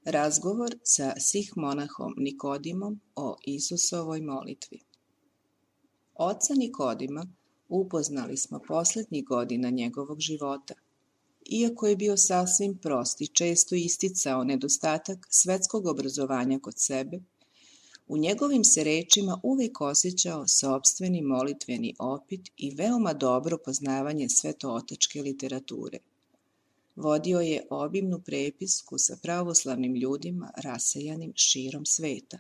Razgovor sa sih-monahom Nikodimom o Isusovoj molitvi. Oca Nikodima upoznali smo poslednjih godina njegovog života. Iako je bio sasvim prost i često isticao nedostatak svetskog obrazovanja kod sebe, u njegovim se rečima uvek osjećao sopstveni molitveni opit i veoma dobro poznavanje svetootačke literature. Vodio je obimnu prepisku sa pravoslavnim ljudima rasejanim širom sveta.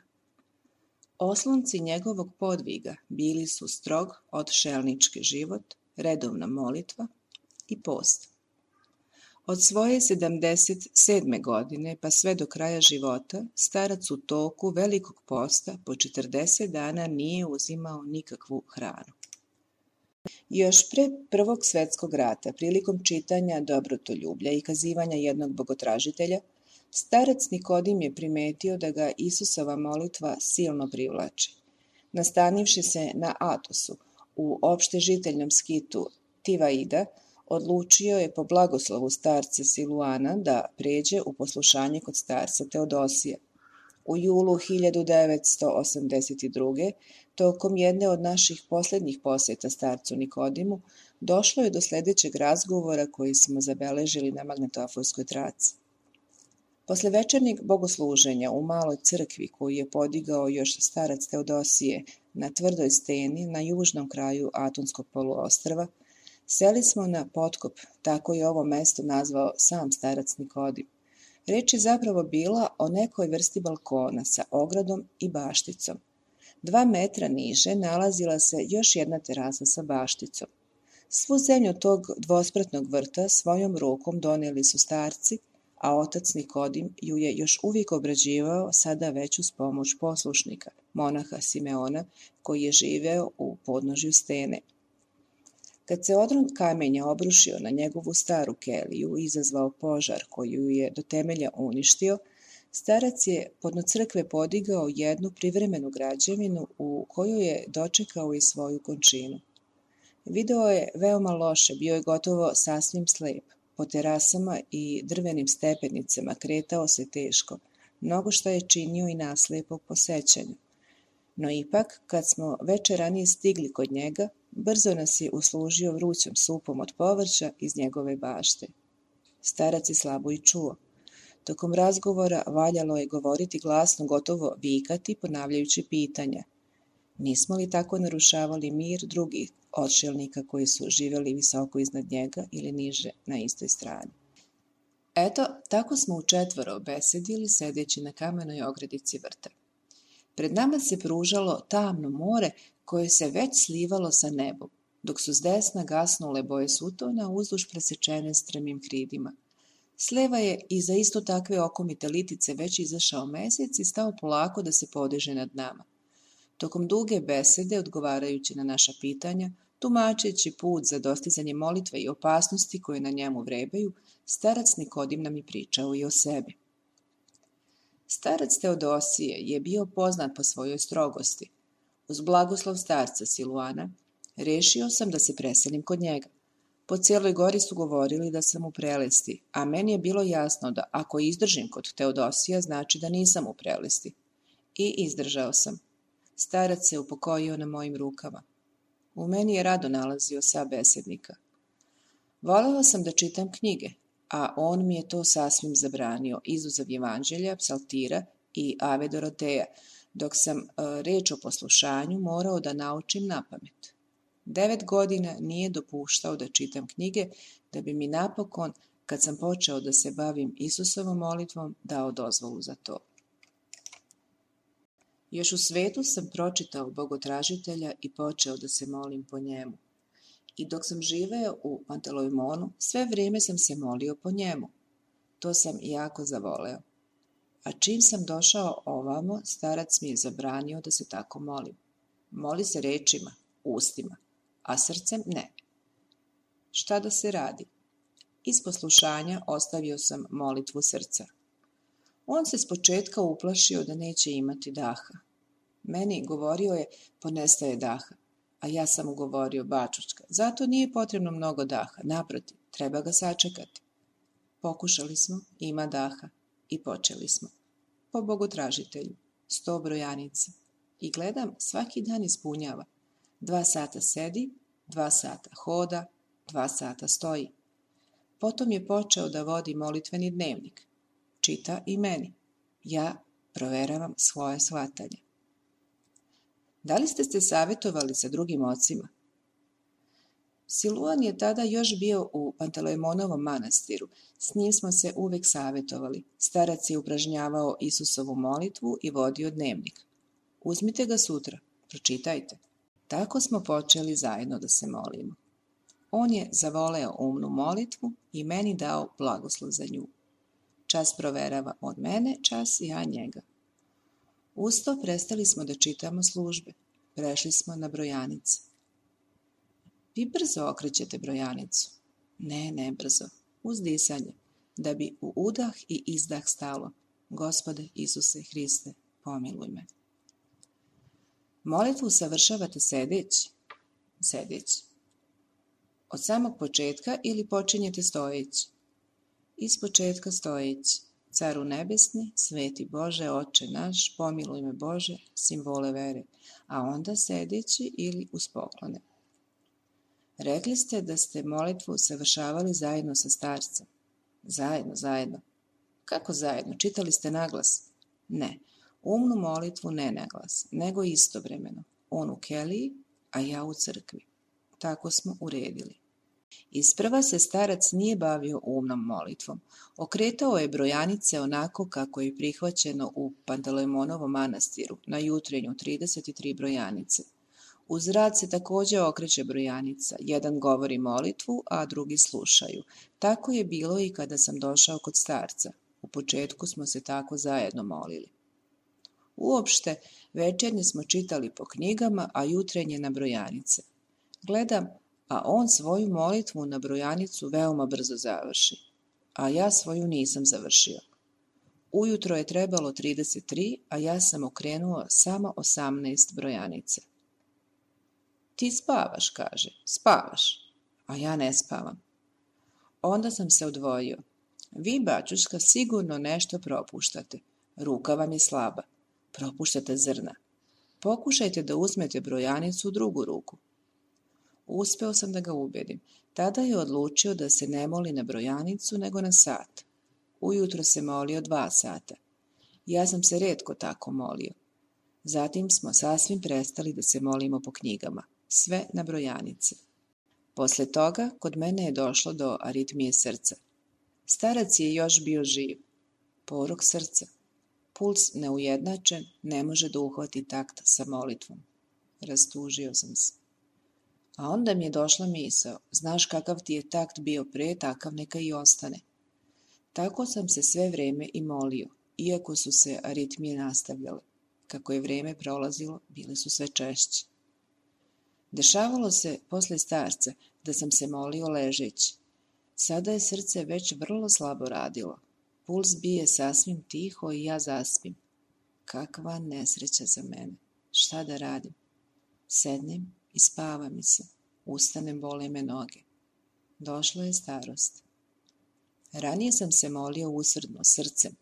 Oslonci njegovog podviga bili su strog odšelnički život, redovna molitva i post. Od svoje 77. godine pa sve do kraja života, starac u toku velikog posta po 40 dana nije uzimao nikakvu hranu. Još pre Prvog svetskog rata, prilikom čitanja Dobrotoljublja i kazivanja jednog bogotražitelja, starac Nikodim je primetio da ga Isusova molitva silno privlači. Nastanivši se na Atosu, u opštežiteljnom skitu Tivaida, odlučio je po blagoslovu starca Siluana da pređe u poslušanje kod starca Teodosija. U julu 1982. tokom jedne od naših poslednjih poseta starcu Nikodimu, došlo je do sledećeg razgovora koji smo zabeležili na magnetofonskoj traci. Posle večernjeg bogosluženja u maloj crkvi koju je podigao još starac Teodosije na tvrdoj steni na južnom kraju Atonskog poluostrva, seli smo na potkop, tako je ovo mesto nazvao sam starac Nikodim. Reč je zapravo bila o nekoj vrsti balkona sa ogradom i bašticom. 2 metra niže nalazila se još jedna terasa sa bašticom. Svu zemlju tog dvospratnog vrta svojom rukom doneli su starci, a otac Nikodim ju je još uvijek obrađivao, sada već uz pomoć poslušnika, monaha Simeona, koji je živeo u podnožju stene. Kad se odron kamenja obrušio na njegovu staru keliju i izazvao požar koju je do temelja uništio, starac je podno crkve podigao jednu privremenu građevinu u koju je dočekao i svoju končinu. Video je veoma loše, bio je gotovo sasvim slep. Po terasama i drvenim stepenicama kretao se teško, mnogo što je činio i naslepo po sećanju. No ipak, kad smo veče ranije stigli kod njega, brzo nas je uslužio vrućom supom od povrća iz njegove bašte. Starac je slabo i čuo. Tokom razgovora valjalo je govoriti glasno, gotovo vikati, ponavljajući pitanja. Nismo li tako narušavali mir drugih odšelnika koji su živjeli visoko iznad njega ili niže na istoj strani? Eto, tako smo u 4 besedili sedeći na kamenoj ogradici vrta. Pred nama se pružalo tamno more koje se već slivalo sa nebom, dok su s desna gasnule boje sutona uzduž presečene strmim hridima. S leva je iza isto takve okomite litice već izašao mesec i stao polako da se podiže nad nama. Tokom duge besede, odgovarajući na naša pitanja, tumačeći put za dostizanje molitve i opasnosti koje na njemu vrebaju, starac Nikodim nam je pričao i o sebi. Starac Teodosije je bio poznat po svojoj strogosti. Uz blagoslov starca Siluana, rešio sam da se preselim kod njega. Po cijeloj gori su govorili da sam u prelesti, a meni je bilo jasno da ako izdržim kod Teodosija, znači da nisam u prelesti. I izdržao sam. Starac se upokojio na mojim rukama. U meni je rado nalazio sabesednika. Voleo sam da čitam knjige, a on mi je to sasvim zabranio, izuzev Evanđelja, Psaltira i Ave Doroteja, dok sam reč o poslušanju morao da naučim napamet. 9 godina nije dopuštao da čitam knjige, da bi mi napokon, kad sam počeo da se bavim Isusovom molitvom, dao dozvolu za to. Još u svetu sam pročitao Bogotražitelja i počeo da se molim po njemu. I dok sam živeo u Pantelejmonu, sve vrijeme sam se molio po njemu. To sam jako zavoleo. A čim sam došao ovamo, starac mi je zabranio da se tako molim. Moli se rečima, ustima, a srcem ne. Šta da se radi? Iz poslušanja ostavio sam molitvu srca. On se s početka uplašio da neće imati daha. Meni govorio je, ponestaje daha, a ja sam mu govorio, bačučka, zato nije potrebno mnogo daha, naprotiv, treba ga sačekati. Pokušali smo, ima daha, i počeli smo. Po Bogotražitelju, 100 brojanica. I gledam, svaki dan ispunjava. 2 sata sedi, 2 sata hoda, 2 sata stoji. Potom je počeo da vodi molitveni dnevnik. Čita i meni. Ja proveravam svoje shvatanje. Da li ste se savjetovali sa drugim ocima? Siluan je tada još bio u Pantelejmonovom manastiru. S njim smo se uvek savjetovali. Starac je upražnjavao Isusovu molitvu i vodio dnevnik. Uzmite ga sutra, pročitajte. Tako smo počeli zajedno da se molimo. On je zavoleo umnu molitvu i meni dao blagoslov za nju. Čas proverava od mene, čas ja njega. Usto prestali smo da čitamo službe. Prešli smo na brojanice. Vi brzo okrećete brojanicu. Ne brzo. Uz disanje. Da bi u udah i izdah stalo. Gospode Isuse Hriste, pomiluj me. Molitvu savršavate sedeći. Sedeći. Od samog početka ili počinjete stojeći? Iz početka stojeći. Caru nebesni, sveti Bože, Oče naš, pomiluj me Bože, simbole vere, a onda sedeći ili uz poklone. Rekli ste da ste molitvu savršavali zajedno sa starcem. Zajedno. Kako zajedno? Čitali ste naglas? Ne, umnu molitvu ne naglas, nego istovremeno. On u keliji, a ja u crkvi. Tako smo uredili. Isprva se starac nije bavio umnom molitvom. Okretao je brojanice onako kako je prihvaćeno u Pantelejmonovom manastiru, na jutrenju 33 brojanice. Uz rad se također okreće brojanica, jedan govori molitvu, a drugi slušaju. Tako je bilo i kada sam došao kod starca. U početku smo se tako zajedno molili. Uopšte, večernje smo čitali po knjigama, a jutrenje na brojanice. Gledam, a on svoju molitvu na brojanicu veoma brzo završi, a ja svoju nisam završio. Ujutro je trebalo 33, a ja sam okrenuo samo 18 brojanica. Ti spavaš, kaže, spavaš, a ja ne spavam. Onda sam se odvojio. Vi, bačuška, sigurno nešto propuštate. Ruka vam je slaba. Propuštate zrna. Pokušajte da uzmete brojanicu u drugu ruku. Uspeo sam da ga ubedim. Tada je odlučio da se ne moli na brojanicu, nego na sat. Ujutro se molio 2 sata. Ja sam se retko tako molio. Zatim smo sasvim prestali da se molimo po knjigama. Sve na brojanice. Posle toga, kod mene je došlo do aritmije srca. Starac je još bio živ. Porok srca. Puls neujednačen, ne može da uhvati takt sa molitvom. Rastužio sam se. A onda mi je došla misao, znaš kakav ti je takt bio pre, takav neka i ostane. Tako sam se sve vrijeme i molio, iako su se aritmije nastavljale. Kako je vrijeme prolazilo, bile su sve češće. Dešavalo se posle starca da sam se molio ležeći. Sada je srce već vrlo slabo radilo. Puls bije sasvim tiho i ja zaspim. Kakva nesreća za mene. Šta da radim? Sednem i spava mi se. Ustanem, bole me noge. Došla je starost. Ranije sam se molio usrdno, srcem.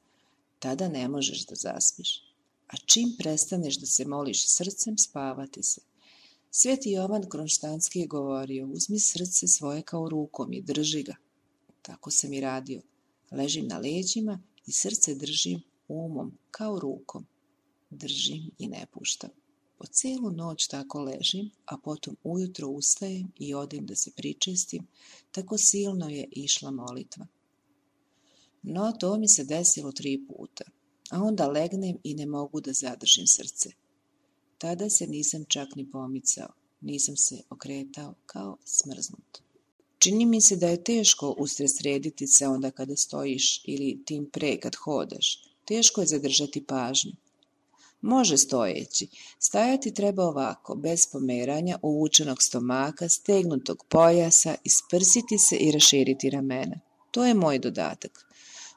Tada ne možeš da zaspiš. A čim prestaneš da se moliš srcem, spavati se. Sveti Jovan Kronštanski je govorio, uzmi srce svoje kao rukom i drži ga. Tako sam i radio. Ležim na leđima i srce držim umom kao rukom. Držim i ne puštam. Po cijelu noć tako ležim, a potom ujutro ustajem i odem da se pričestim, tako silno je išla molitva. No, to mi se desilo 3 puta, a onda legnem i ne mogu da zadržim srce. Tada se nisam čak ni pomicao, nisam se okretao kao smrznut. Čini mi se da je teško usredsrediti se onda kada stojiš ili tim pre kad hodaš. Teško je zadržati pažnju. Može stojeći. Stajati treba ovako, bez pomeranja, uvučenog stomaka, stegnutog pojasa, isprsiti se i raširiti ramena. To je moj dodatak.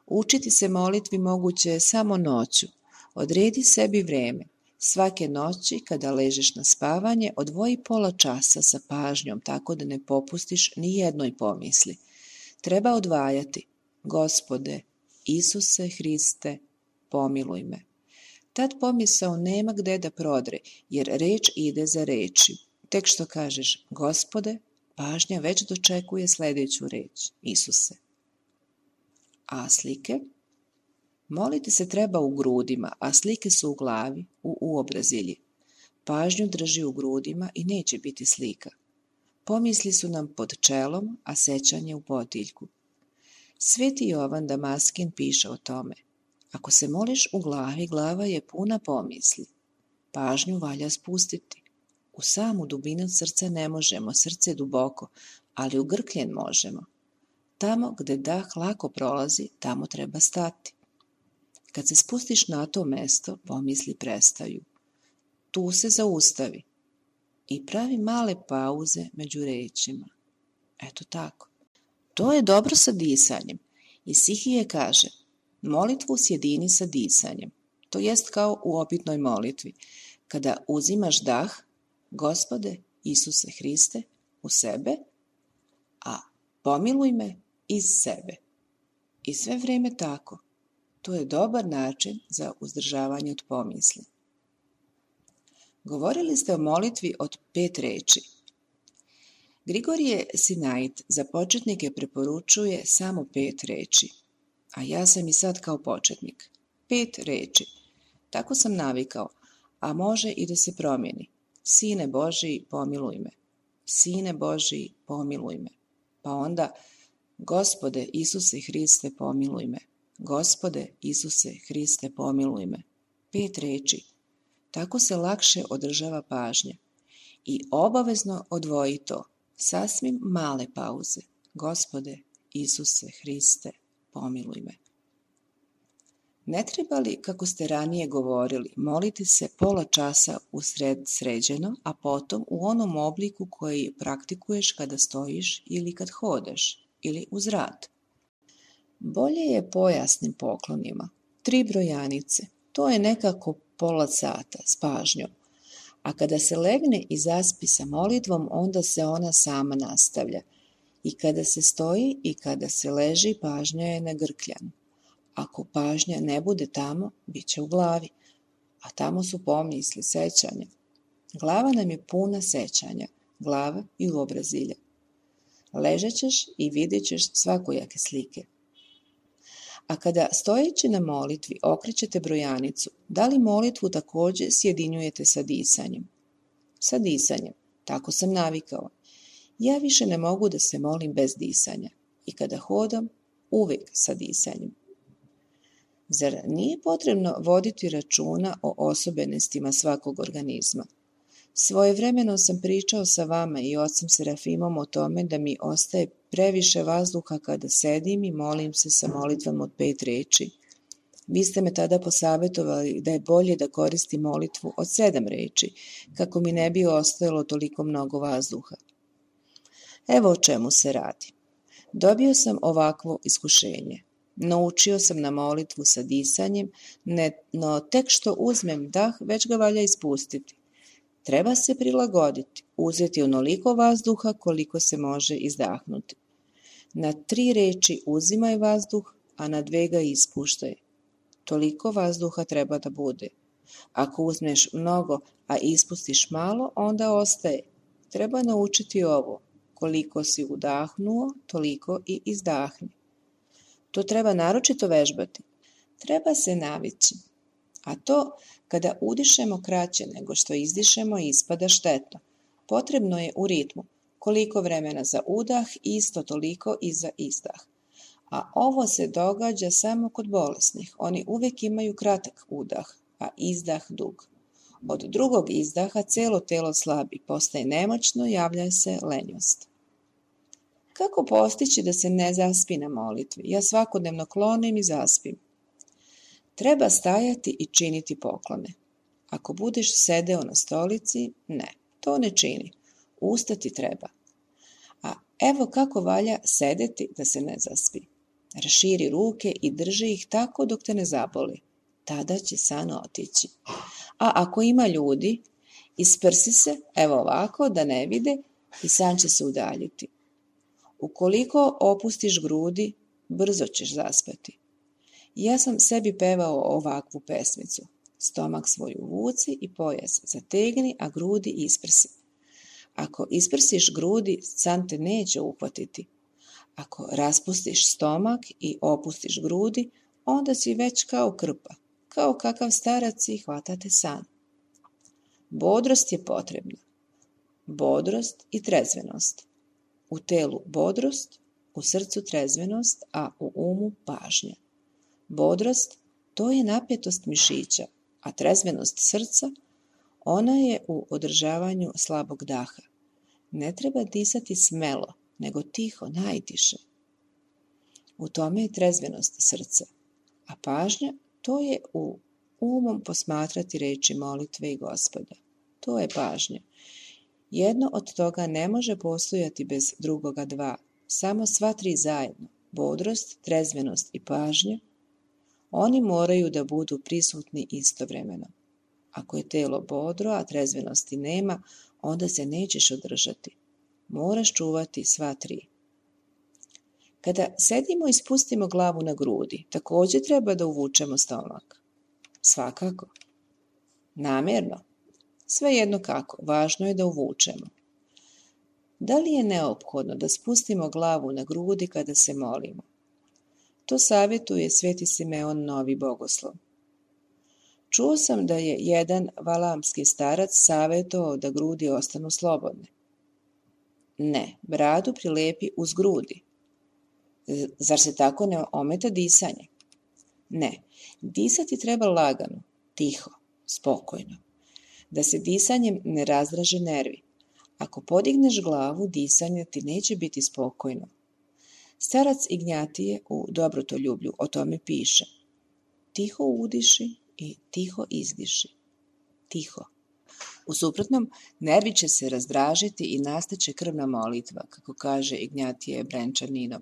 Učiti se molitvi moguće je samo noću. Odredi sebi vreme. Svake noći, kada ležeš na spavanje, odvoji pola časa sa pažnjom, tako da ne popustiš ni jednoj pomisli. Treba odvajati. Gospode, Isuse Hriste, pomiluj me. Tad pomisao nema gde da prodre, jer reč ide za reči. Tek što kažeš Gospode, pažnja već dočekuje sljedeću reč, Isuse. A slike? Moliti se treba u grudima, a slike su u glavi, u uobrazilji. Pažnju drži u grudima i neće biti slika. Pomisli su nam pod čelom, a sećanje u potiljku. Sveti Jovan Damaskin piše o tome. Ako se moliš u glavi, glava je puna pomisli. Pažnju valja spustiti. U samu dubinu srca ne možemo, srce je duboko, ali u grkljen možemo. Tamo gde dah lako prolazi, tamo treba stati. Kad se spustiš na to mesto, pomisli prestaju. Tu se zaustavi i pravi male pauze među rečima. Eto tako. To je dobro sa disanjem. Isihije kaže, molitvu sjedini sa disanjem. To jest kao u opitnoj molitvi. Kada uzimaš dah, Gospode, Isuse Hriste, u sebe, a pomiluj me iz sebe. I sve vrijeme tako. To je dobar način za uzdržavanje od pomisli. Govorili ste o molitvi od 5 reči. Grigorije Sinait za početnike preporučuje samo 5 reči, a ja sam i sad kao početnik. 5 reči. Tako sam navikao, a može i da se promijeni. Sine Božiji, pomiluj me. Sine Božiji, pomiluj me. Pa onda, Gospode Isuse Hriste, pomiluj me. Gospode Isuse Hriste, pomiluj me. 5 reči. Tako se lakše održava pažnja. I obavezno odvoji to. Sasvim male pauze. Gospode Isuse Hriste, pomiluj me. Ne treba li, kako ste ranije govorili, moliti se pola časa usred sređeno, a potom u onom obliku koji praktikuješ kada stojiš ili kad hodaš, ili uz rad? Bolje je pojasnim poklonima. 3 brojanice. To je nekako pola sata s pažnjom. A kada se legne i zaspi sa molitvom, onda se ona sama nastavlja. I kada se stoji i kada se leži, pažnja je na grkljanu. Ako pažnja ne bude tamo, bit će u glavi. A tamo su pomisli, sećanja. Glava nam je puna sećanja, glava i uobrazilja. Ležet ćeš i vidjet ćeš svakojake slike. A kada stojeći na molitvi okrećete brojanicu, da li molitvu također sjedinjujete sa disanjem? Sa disanjem, tako sam navikao. Ja više ne mogu da se molim bez disanja i kada hodam, uvijek sa disanjem. Zar nije potrebno voditi računa o osobenostima svakog organizma? Svojevremeno sam pričao sa vama i ocem Serafimom o tome da mi ostaje previše vazduha kada sedim i molim se sa molitvom od 5 reči. Vi ste me tada posavetovali da je bolje da koristim molitvu od 7 reči, kako mi ne bi ostajalo toliko mnogo vazduha. Evo o čemu se radi. Dobio sam ovakvo iskušenje. Naučio sam na molitvu sa disanjem, no tek što uzmem dah, već ga valja ispustiti. Treba se prilagoditi, uzeti onoliko vazduha koliko se može izdahnuti. Na 3 reči uzimaj vazduh, a na 2 ga ispuštaj. Toliko vazduha treba da bude. Ako uzmeš mnogo, a ispustiš malo, onda ostaje. Treba naučiti ovo. Koliko si udahnuo, toliko i izdahni. To treba naročito vežbati. Treba se navići. A to, kada udišemo kraće nego što izdišemo, ispada štetno. Potrebno je u ritmu. Koliko vremena za udah, isto toliko i za izdah. A ovo se događa samo kod bolesnih. Oni uvek imaju kratak udah, a izdah dug. Od drugog izdaha celo telo slabi, postaje nemoćno, javlja se lenjost. Kako postići da se ne zaspi na molitvi? Ja svakodnevno klonim i zaspim. Treba stajati i činiti poklone. Ako budeš sedeo na stolici, ne, to ne čini. Ustati treba. A evo kako valja sedeti da se ne zaspi. Raširi ruke i drži ih tako dok te ne zaboli. Tada će san otići. A ako ima ljudi, isprsi se, evo ovako, da ne vide i san će se udaljiti. Ukoliko opustiš grudi, brzo ćeš zaspati. Ja sam sebi pevao ovakvu pesmicu. Stomak svoj uvuci i pojas zategni, a grudi isprsi. Ako isprsiš grudi, san te neće uhvatiti. Ako raspustiš stomak i opustiš grudi, onda si već kao krpa, kao kakav starac i hvatate san. Bodrost je potrebna. Bodrost i trezvenost. U telu bodrost, u srcu trezvenost, a u umu pažnja. Bodrost, to je napetost mišića, a trezvenost srca, ona je u održavanju slabog daha. Ne treba disati smelo, nego tiho, najtiše. U tome je trezvenost srca, a pažnja, to je u umom posmatrati reči molitve i Gospoda. To je pažnja. Jedno od toga ne može postojati bez drugoga 2, samo sva 3 zajedno, bodrost, trezvenost i pažnja, oni moraju da budu prisutni istovremeno. Ako je telo bodro, a trezvenosti nema, onda se nećeš održati. Moraš čuvati sva 3. Kada sedimo i spustimo glavu na grudi, također treba da uvučemo stomak. Svakako. Namjerno. Svejedno kako, važno je da uvučemo. Da li je neophodno da spustimo glavu na grudi kada se molimo? To savjetuje Sveti Simeon Novi Bogoslov. Čuo sam da je jedan valamski starac savjetovao da grudi ostanu slobodne. Ne, bradu prilepi uz grudi. Zar se tako ne ometa disanje? Ne, disati treba lagano, tiho, spokojno. Da se disanjem ne razdraže nervi. Ako podigneš glavu, disanje ti neće biti spokojno. Starac Ignjatije u Dobrotoljublju o tome piše. Tiho udiši i tiho izdiši. Tiho. U suprotnom, nervi će se razdražiti i nastaće krvna molitva, kako kaže Ignjatije Brenčaninov.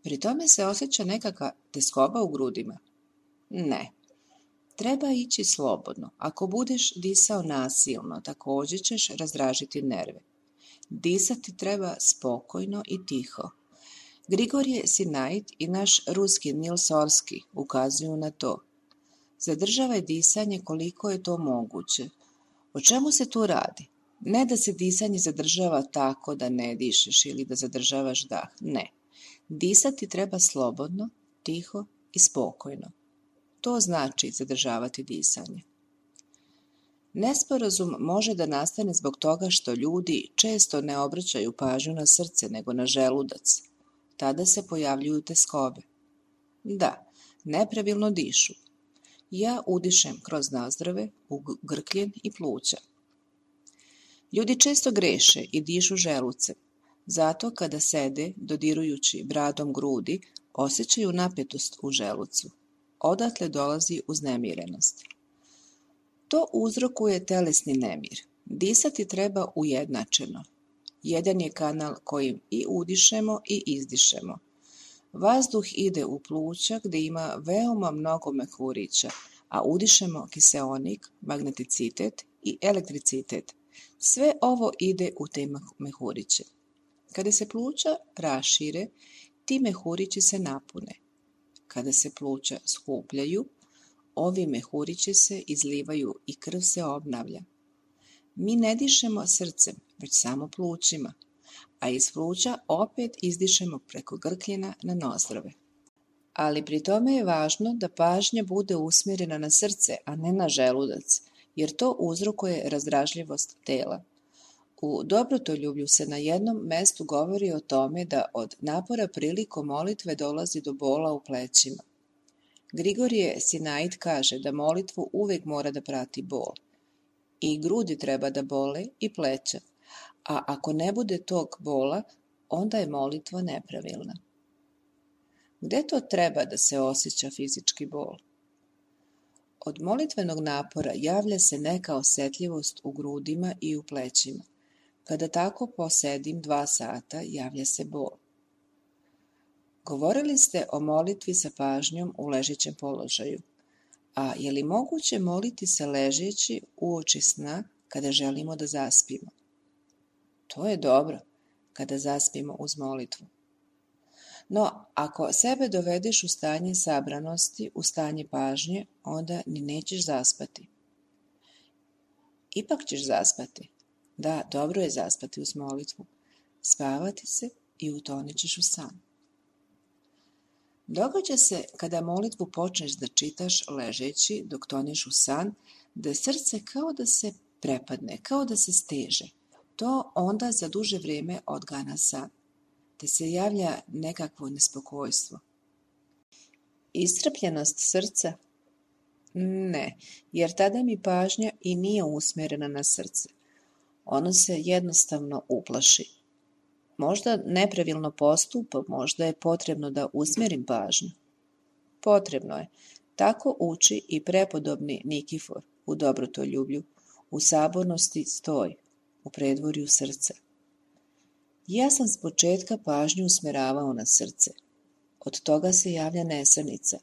Pri tome se osjeća nekakva tjeskoba u grudima? Ne. Treba ići slobodno. Ako budeš disao nasilno, također ćeš razdražiti nerve. Disati treba spokojno i tiho. Grigorije Sinait i naš ruski Nil Sorski ukazuju na to. Zadržavaj disanje koliko je to moguće. O čemu se tu radi? Ne da se disanje zadržava tako da ne dišeš ili da zadržavaš dah. Ne. Disati treba slobodno, tiho i spokojno. To znači zadržavati disanje. Nesporazum može da nastane zbog toga što ljudi često ne obraćaju pažnju na srce nego na želudac. Tada se pojavljuju tjeskobe. Da, nepravilno dišu. Ja udišem kroz nazdrave, u grkljen i pluća. Ljudi često greše i dišu želucem. Zato kada sede, dodirujući bradom grudi, osjećaju napetost u želucu. Odatle dolazi uznemirenost. To uzrokuje telesni nemir. Disati treba ujednačeno. Jedan je kanal kojim i udišemo i izdišemo. Vazduh ide u pluća gdje ima veoma mnogo mehurića, a udišemo kiseonik, magneticitet i elektricitet. Sve ovo ide u te mehuriće. Kada se pluća rašire, ti mehurići se napune. Kada se pluća skupljaju, ovi mehurići se izlivaju i krv se obnavlja. Mi ne dišemo srcem, već samo plućima, a iz pluća opet izdišemo preko grkljena na nozdrove. Ali pri tome je važno da pažnja bude usmjerena na srce, a ne na želudac, jer to uzrokuje razdražljivost tela. U Dobrotoljublju se na jednom mestu govori o tome da od napora prilikom molitve dolazi do bola u plećima. Grigorije Sinaid kaže da molitvu uvijek mora da prati bol. I grudi treba da bole i pleća, a ako ne bude tog bola, onda je molitva nepravilna. Gde to treba da se osjeća fizički bol? Od molitvenog napora javlja se neka osjetljivost u grudima i u plećima. Kada tako posedim 2 sata, javlja se bol. Govorili ste o molitvi sa pažnjom u ležećem položaju. A je li moguće moliti se ležeći uoči sna kada želimo da zaspimo? To je dobro, kada zaspimo uz molitvu. No, ako sebe dovedeš u stanje sabranosti, u stanje pažnje, onda ni nećeš zaspati. Ipak ćeš zaspati. Da, dobro je zaspati uz molitvu. Spavati se i utonit ćeš u san. Događa se kada molitvu počneš da čitaš ležeći dok toneš u san, da srce kao da se prepadne, kao da se steže. To onda za duže vrijeme odgana san, te se javlja nekakvo nespokojstvo. Iscrpljenost srca? Ne, jer tada mi pažnja i nije usmjerena na srce. Ono se jednostavno uplaši. Možda nepravilno postupa, možda je potrebno da usmjerim pažnju. Potrebno je. Tako uči i prepodobni Nikifor u Dobrotoljublju, u sabornosti stoj, u predvorju srca. Ja sam s početka pažnju usmjeravao na srce. Od toga se javlja nesanica.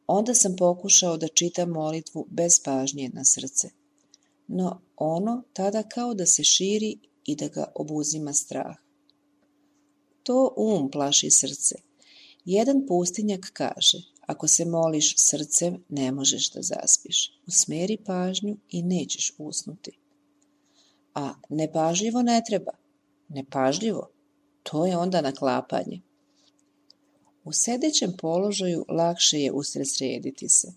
Onda sam pokušao da čitam molitvu bez pažnje na srce. No ono tada kao da se širi i da ga obuzima strah. To plaši srce. Jedan pustinjak kaže, ako se moliš srcem, ne možeš da zaspiš. Usmjeri pažnju i nećeš usnuti. A nepažljivo ne treba. Nepažljivo, to je onda naklapanje. U sedećem položaju lakše je usredsrediti se.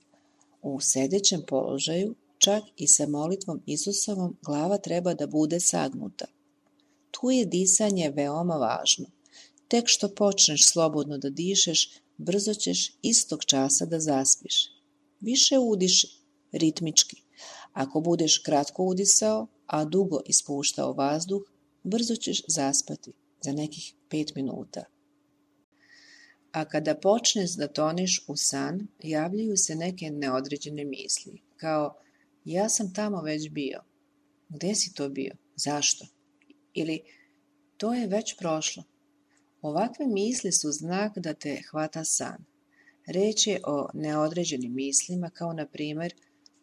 U sedećem položaju, čak i sa molitvom Isusovom, glava treba da bude sagnuta. Tu je disanje veoma važno. Tek što počneš slobodno da dišeš, brzo ćeš istog časa da zaspiš. Više udiši, ritmički. Ako budeš kratko udisao, a dugo ispuštao vazduh, brzo ćeš zaspati za nekih 5 minuta. A kada počneš da toneš u san, javljaju se neke neodređene misli, kao ja sam tamo već bio. Gde si to bio? Zašto? Ili to je već prošlo. Ovakve misli su znak da te hvata san. Reč je o neodređenim mislima kao na primjer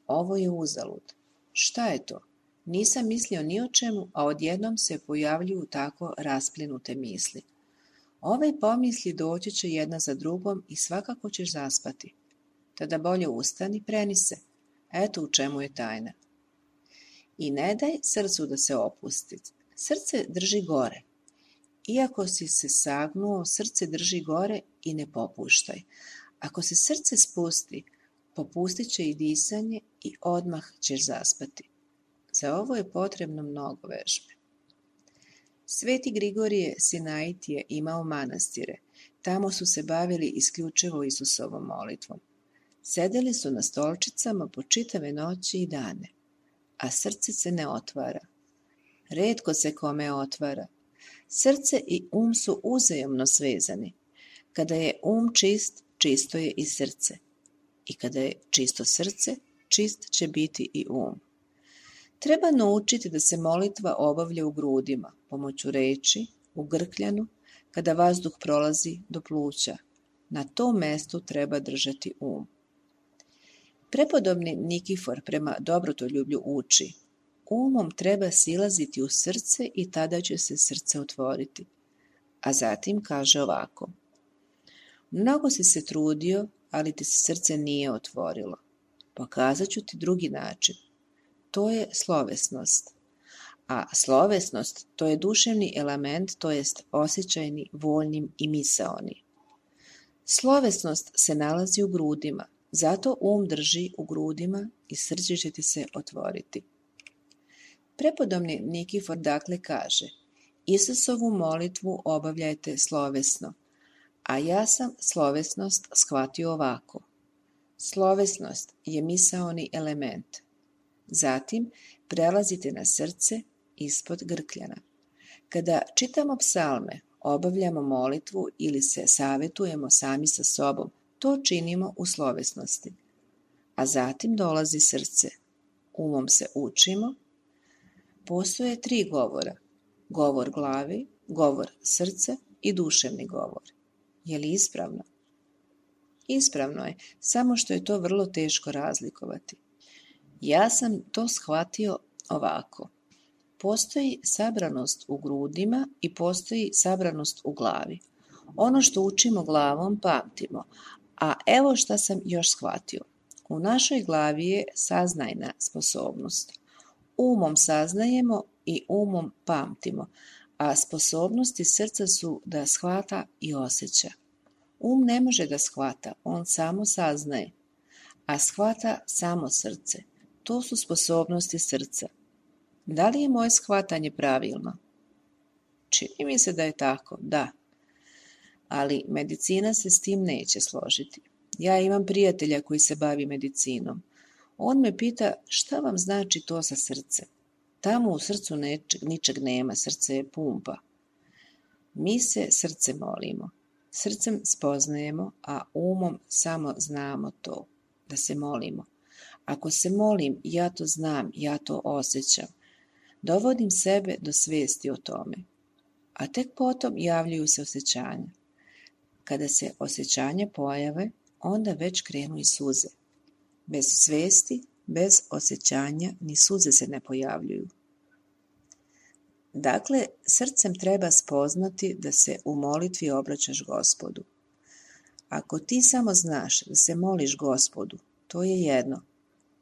ovo je uzalud. Šta je to? Nisam mislio ni o čemu, a odjednom se pojavljuju tako rasplinute misli. Ove pomisli doći će jedna za drugom i svakako ćeš zaspati. Tada bolje ustani, preni se. Eto u čemu je tajna. I ne daj srcu da se opusti. Srce drži gore. Iako si se sagnuo, srce drži gore i ne popuštaj. Ako se srce spusti, popustit će i disanje i odmah ćeš zaspati. Za ovo je potrebno mnogo vežbe. Sveti Grigorije Sinaid je imao manastire. Tamo su se bavili isključivo Isusovom molitvom. Sedeli su na stolčicama po čitave noći i dane, a srce se ne otvara. Retko se kome otvara. Srce i su uzajamno svezani. Kada je čist, čisto je i srce. I kada je čisto srce, čist će biti i Treba naučiti da se molitva obavlja u grudima, pomoću reči, u grkljanu, kada vazduh prolazi do pluća. Na tom mestu treba držati Prepodobni Nikifor prema dobrotoljublju uči: umom treba silaziti u srce i tada će se srce otvoriti. A zatim kaže ovako: mnogo si se trudio, ali ti se srce nije otvorilo. Pokazat ću ti drugi način. To je slovesnost. A slovesnost, to je duševni element, to jest osjećajni, voljni i misaoni. Slovesnost se nalazi u grudima, zato drži u grudima i srce će ti se otvoriti. Prepodobni Nikifor dakle kaže: Isusovu molitvu obavljajte slovesno, a ja sam slovesnost shvatio ovako. Slovesnost je misaoni element. Zatim prelazite na srce ispod grkljana. Kada čitamo psalme, obavljamo molitvu ili se savetujemo sami sa sobom, to činimo u slovesnosti. A zatim dolazi srce. Umom se učimo. Postoje 3 govora. Govor glavi, govor srca i duševni govor. Je li ispravno? Ispravno je, samo što je to vrlo teško razlikovati. Ja sam to shvatio ovako. Postoji sabranost u grudima i postoji sabranost u glavi. Ono što učimo glavom pamtimo, a evo šta sam još shvatio. U našoj glavi je saznajna sposobnost. Umom saznajemo i umom pamtimo, a sposobnosti srca su da shvata i osjeća. Ne može da shvata, on samo saznaje, a shvata samo srce. To su sposobnosti srca. Da li je moje shvatanje pravilno? Čini mi se da je tako, da. Ali medicina se s tim neće složiti. Ja imam prijatelja koji se bavi medicinom. On me pita šta vam znači to sa srcem. Tamo u srcu ničeg nema, srce je pumpa. Mi se srce molimo. Srcem spoznajemo, a umom samo znamo to, da se molimo. Ako se molim, ja to znam, ja to osjećam. Dovodim sebe do svesti o tome. A tek potom javljaju se osjećanja. Kada se osjećanja pojave, onda već krenu i suze. Bez svesti, bez osjećanja, ni suze se ne pojavljuju. Dakle, srcem treba spoznati da se u molitvi obraćaš Gospodu. Ako ti samo znaš da se moliš Gospodu, to je jedno.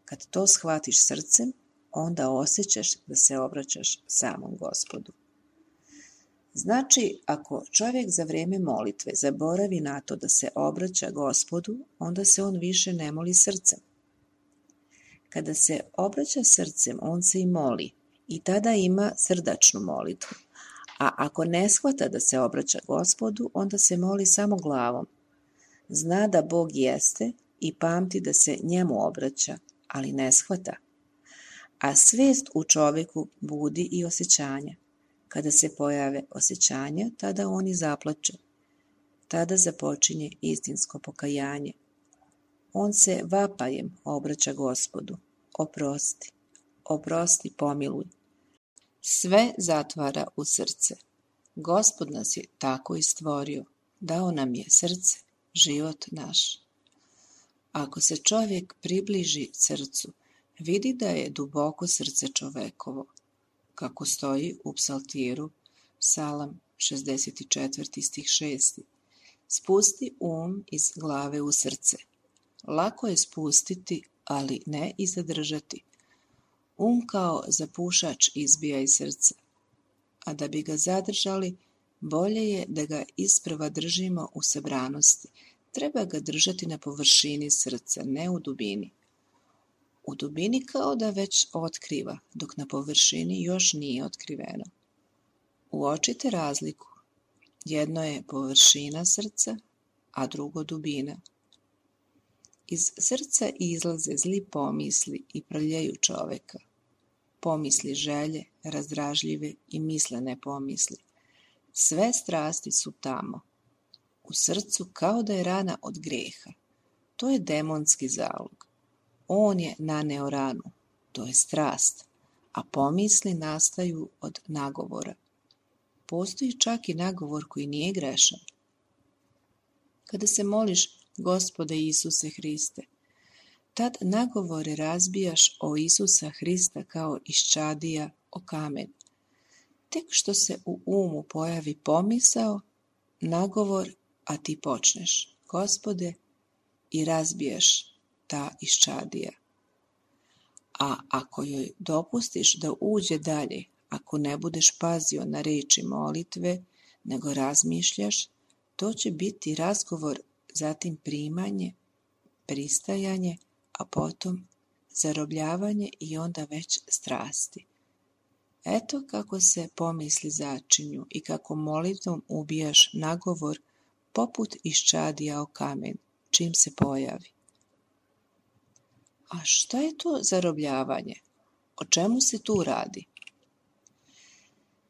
Kad to shvatiš srcem, onda osjećaš da se obraćaš samom Gospodu. Znači, ako čovjek za vrijeme molitve zaboravi na to da se obraća Gospodu, onda se on više ne moli srcem. Kada se obraća srcem, on se i moli i tada ima srdačnu molitvu. A ako ne shvata da se obraća Gospodu, onda se moli samo glavom. Zna da Bog jeste i pamti da se njemu obraća, ali ne shvata. A svijest u čovjeku budi i osjećanja. Kada se pojave osjećanja, tada on i zaplače. Tada započinje istinsko pokajanje. On se vapajem obraća Gospodu. Oprosti, oprosti, pomiluj. Sve zatvara u srce. Gospod nas je tako i stvorio. Dao nam je srce, život naš. Ako se čovjek približi srcu, vidi da je duboko srce čovekovo, kako stoji u psaltiru, Psalam 64. stih 6. Spusti iz glave u srce. Lako je spustiti, ali ne i zadržati. Kao zapušač izbija iz srca, a da bi ga zadržali, bolje je da ga isprva držimo u sabranosti. Treba ga držati na površini srca, ne u dubini. U dubini kao da već otkriva, dok na površini još nije otkriveno. Uočite razliku. Jedno je površina srca, a drugo dubina. Iz srca izlaze zli pomisli i prljaju čoveka. pomisli želje, razdražljive i mislene pomisli. Sve strasti su tamo, u srcu kao da je rana od grijeha. To je demonski zalog. On je naneo ranu, to je strast, a pomisli nastaju od nagovora. Postoji čak i nagovor koji nije grešan. Kada se moliš Gospode Isuse Hriste, tad nagovore razbijaš o Isusa Hrista kao iščadija o kamen. Tek što se u umu pojavi pomisao, nagovor, a ti počneš, Gospode, i razbiješ ta iščadija. A ako joj dopustiš da uđe dalje, ako ne budeš pazio na riječi molitve, nego razmišljaš, to će biti razgovor, zatim primanje, pristajanje, a potom zarobljavanje i onda već strasti. Eto kako se pomisli začinju i kako molitvom ubijaš nagovor poput iščadija o kamen, čim se pojavi. A šta je to zarobljavanje? O čemu se tu radi?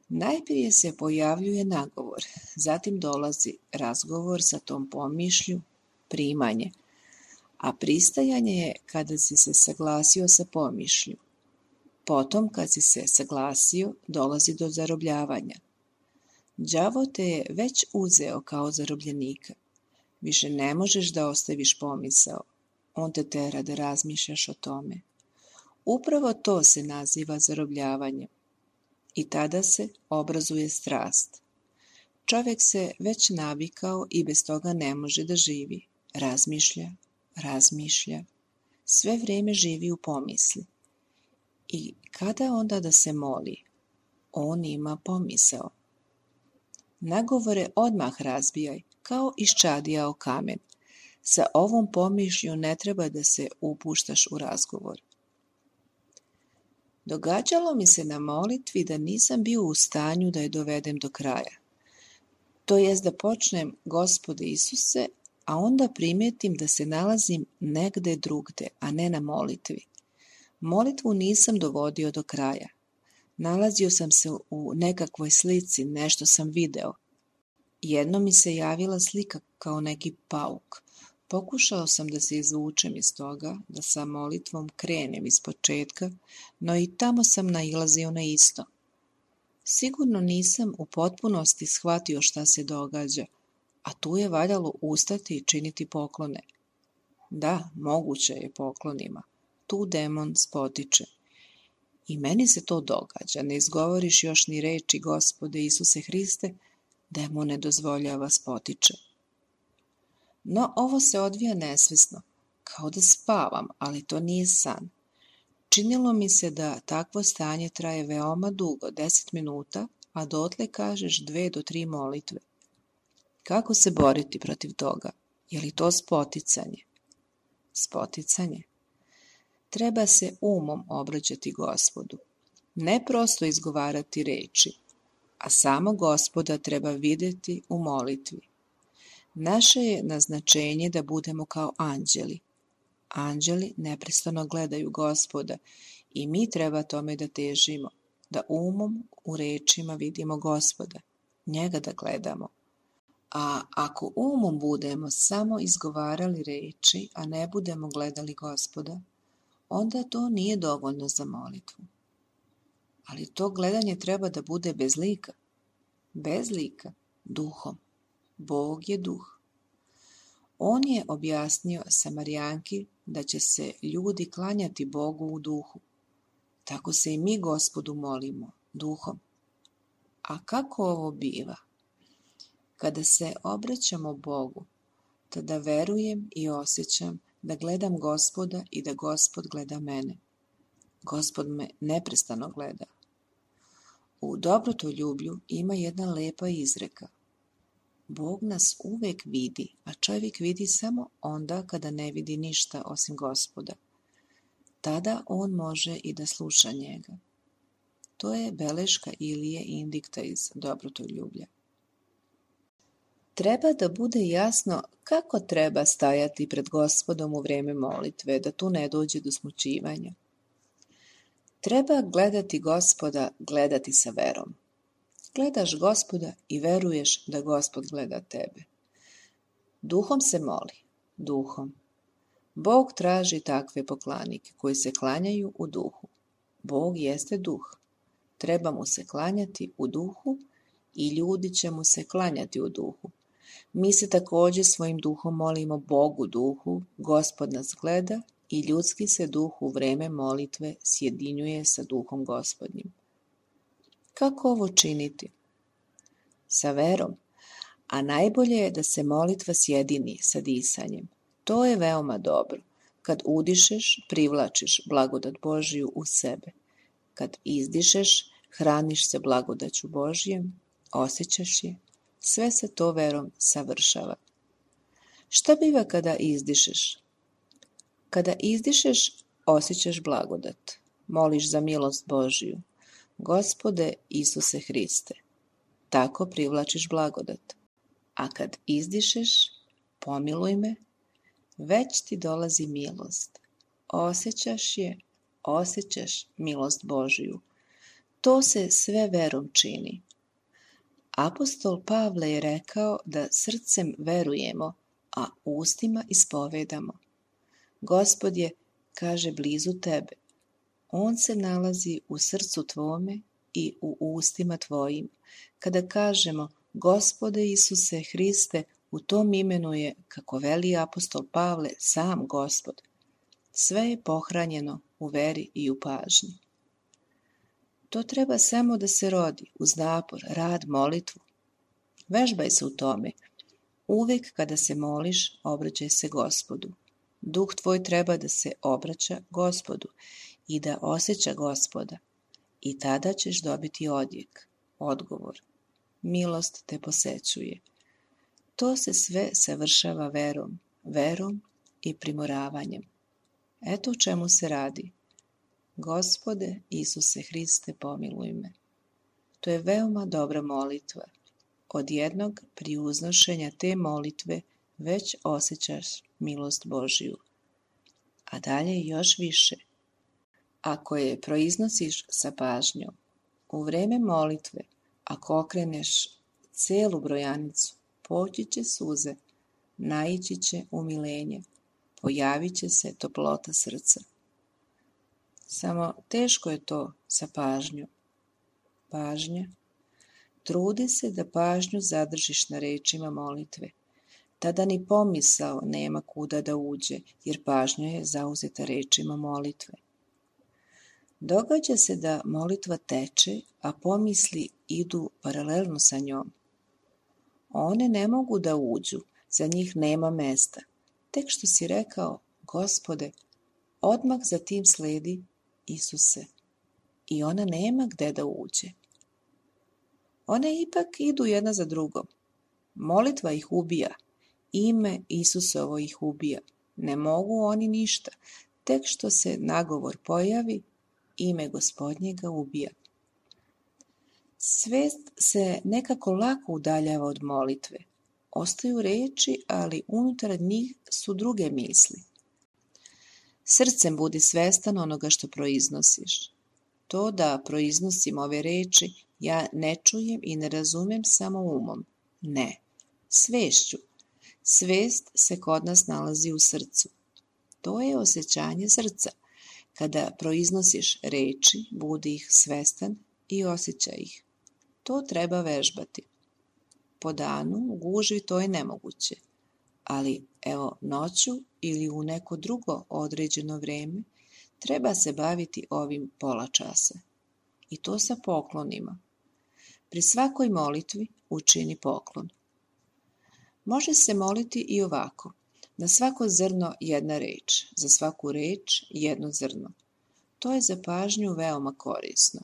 Najprije se pojavljuje nagovor, zatim dolazi razgovor sa tom pomišlju, primanje, a pristajanje je kada si se saglasio sa pomišlju. Potom, kad si se saglasio, dolazi do zarobljavanja. Đavo te je već uzeo kao zarobljenika. Više ne možeš da ostaviš pomisao. On te tera da razmišljaš o tome. Upravo to se naziva zarobljavanjem. I tada se obrazuje strast. Čovjek se već navikao i bez toga ne može da živi. Razmišlja. Sve vrijeme živi u pomisli. I kada onda da se moli? On ima pomisao. Nagovore odmah razbijaj, kao iščadija o kamen. Sa ovom pomišlju ne treba da se upuštaš u razgovor. Događalo mi se na molitvi da nisam bio u stanju da je dovedem do kraja. To jest da počnem Gospode Isuse, a onda primijetim da se nalazim negde drugde, a ne na molitvi. Molitvu nisam dovodio do kraja. Nalazio sam se u nekakvoj slici, nešto sam video. Jednom mi se javila slika kao neki pauk. Pokušao sam da se izvučem iz toga, da sa molitvom krenem iz početka, no i tamo sam nailazio na isto. Sigurno nisam u potpunosti shvatio šta se događa, a tu je valjalo ustati i činiti poklone. Da, moguće je poklonima. Tu demon spotiče. I meni se to događa, ne izgovoriš još ni reči Gospode Isuse Hriste, demon ne dozvoljava spotiče. No ovo se odvija nesvesno, kao da spavam, ali to nije san. Činilo mi se da takvo stanje traje veoma dugo, 10 minuta, a dotle kažeš 2 do 3 molitve. Kako se boriti protiv toga? Je li to spoticanje? Spoticanje? Treba se umom obraćati Gospodu. Ne prosto izgovarati reči, a samo Gospoda treba vidjeti u molitvi. Naše je naznačenje da budemo kao anđeli. Anđeli neprestano gledaju Gospoda i mi treba tome da težimo, da umom u rečima vidimo Gospoda, njega da gledamo. A ako umom budemo samo izgovarali reči, a ne budemo gledali Gospoda, onda to nije dovoljno za molitvu. Ali to gledanje treba da bude bez lika. Bez lika, duhom. Bog je duh. On je objasnio Samarijanki da će se ljudi klanjati Bogu u duhu. Tako se i mi Gospodu molimo, duhom. A kako ovo biva? Kada se obraćamo Bogu, tada verujem i osjećam da gledam Gospoda i da Gospod gleda mene. Gospod me neprestano gleda. U dobrotoljublju ima jedna lepa izreka. Bog nas uvek vidi, a čovjek vidi samo onda kada ne vidi ništa osim Gospoda. Tada on može i da sluša njega. To je beleška Ilije Indikta iz dobrotoljublja. Treba da bude jasno kako treba stajati pred Gospodom u vrijeme molitve, da tu ne dođe do smućivanja. Treba gledati Gospoda, gledati sa verom. Gledaš Gospoda i veruješ da Gospod gleda tebe. Duhom se moli, duhom. Bog traži takve poklanike koji se klanjaju u duhu. Bog jeste duh. Treba mu se klanjati u duhu i ljudi će mu se klanjati u duhu. Mi se također svojim duhom molimo Bogu duhu, Gospod nas gleda i ljudski se duh u vreme molitve sjedinjuje sa duhom Gospodnjim. Kako ovo činiti? Sa verom, a najbolje je da se molitva sjedini sa disanjem. To je veoma dobro. Kad udišeš, privlačiš blagodat Božiju u sebe. Kad izdišeš, hraniš se blagodaću Božjem, osjećaš je. Sve se to verom savršava. Šta biva kada izdišeš? Kada izdišeš, osjećaš blagodat. Moliš za milost Božiju. Gospode Isuse Hriste. Tako privlačiš blagodat. A kad izdišeš, pomiluj me, već ti dolazi milost. Osjećaš je, osjećaš milost Božiju. To se sve verom čini. Apostol Pavle je rekao da srcem verujemo, a ustima ispovedamo. Gospod je, kaže, blizu tebe. On se nalazi u srcu tvome i u ustima tvojim. Kada kažemo Gospode Isuse Hriste, u tom imenu je, kako veli apostol Pavle, sam Gospod. Sve je pohranjeno u veri i u pažnji. To treba samo da se rodi uz napor, rad, molitvu. Vežbaj se u tome. Uvijek kada se moliš, obraćaj se Gospodu. Duh tvoj treba da se obraća Gospodu i da osjeća Gospoda. I tada ćeš dobiti odjek, odgovor. Milost te posećuje. To se sve savršava verom i primoravanjem. Eto u čemu se radi. Gospode Isuse Hriste, pomiluj me. To je veoma dobra molitva. Od jednog pri uznošenja te molitve već osjećaš milost Božiju. A dalje još više. Ako je proiznosiš sa pažnjom, u vreme molitve, ako okreneš celu brojanicu, poći će suze, naići će umilenje, pojavit će se toplota srca. Samo teško je to sa pažnjom. Pažnja. Trudi se da pažnju zadržiš na rečima molitve. Tada ni pomisao nema kuda da uđe, jer pažnja je zauzeta rečima molitve. Događa se da molitva teče, a pomisli idu paralelno sa njom. One ne mogu da uđu, za njih nema mesta. Tek što si rekao, Gospode, odmah za tim sledi Isuse. I ona nema gde da uđe. One ipak idu jedna za drugom. Molitva ih ubija. Ime Isusovo ih ubija. Ne mogu oni ništa. Tek što se nagovor pojavi, ime Gospodnje ga ubija. Svest se nekako lako udaljava od molitve. Ostaju reči, ali unutar njih su druge misli. Srcem budi svestan onoga što proiznosiš. To da proiznosim ove reči, ja ne čujem i ne razumem samo umom. Ne, svešću. Svest se kod nas nalazi u srcu. To je osjećanje srca. Kada proiznosiš reči, budi ih svestan i osjećaj ih. To treba vežbati. Po danu u gužvi to je nemoguće, ali evo noću ili u neko drugo određeno vreme treba se baviti ovim pola časa. I to sa poklonima. Pri svakoj molitvi učini poklon. Može se moliti i ovako. Na svako zrno jedna reč, za svaku reč jedno zrno. To je za pažnju veoma korisno.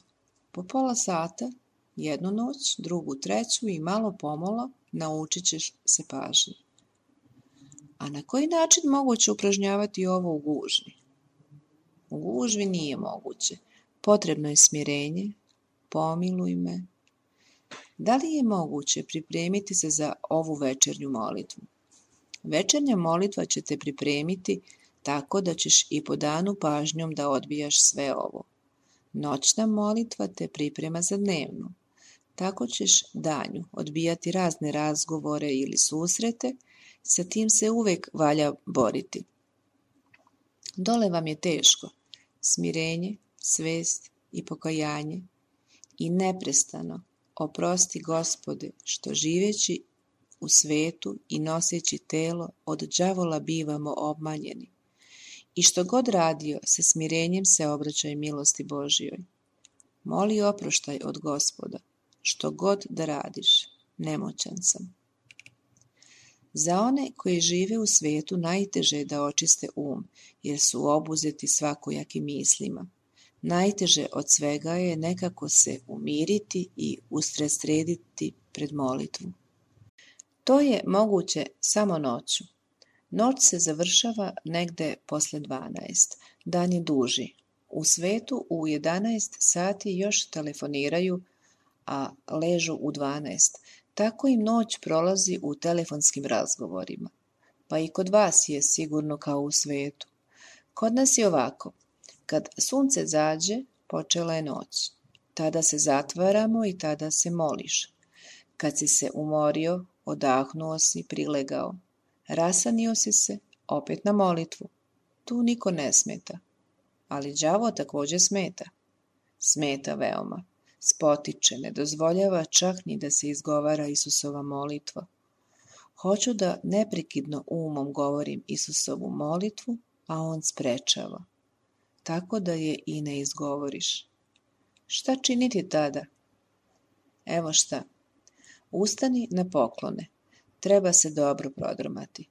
Po pola sata, jednu noć, drugu, treću i malo pomalo naučit ćeš se pažnji. A na koji način moguće upražnjavati ovo u gužvi? U gužvi nije moguće. Potrebno je smirenje, pomiluj me. Da li je moguće pripremiti se za ovu večernju molitvu? Večernja molitva će te pripremiti tako da ćeš i po danu pažnjom da odbijaš sve ovo. Noćna molitva te priprema za dnevnu. Tako ćeš danju odbijati razne razgovore ili susrete, sa tim se uvek valja boriti. Dole vam je teško, smirenje, svest i pokajanje i neprestano oprosti Gospode što živeći u svetu i noseći telo od đavola bivamo obmanjeni. I što god radio, sa smirenjem se obraćaj milosti Božjoj. Moli oproštaj od Gospoda, što god da radiš, nemoćan sam. Za one koji žive u svetu najteže je da očiste jer su obuzeti svakojakim mislima. Najteže od svega je nekako se umiriti i usredsrediti pred molitvu. To je moguće samo noću. Noć se završava negde posle 12, dan je duži. U svetu u 11 sati još telefoniraju, a ležu u 12. Tako im noć prolazi u telefonskim razgovorima. Pa i kod vas je sigurno kao u svetu. Kod nas je ovako. Kad sunce zađe, počela je noć. Tada se zatvaramo i tada se moliš. Kad si se umorio, odahnuo si, prilegao. Rasanio si se, opet na molitvu. Tu niko ne smeta. Ali đavo također smeta. Smeta veoma. Spotiče, ne dozvoljava čak ni da se izgovara Isusova molitva. Hoću da neprekidno umom govorim Isusovu molitvu, a on sprečava. Tako da je i ne izgovoriš. Šta činiti tada? Evo šta. Ustani na poklone. Treba se dobro prodrmati.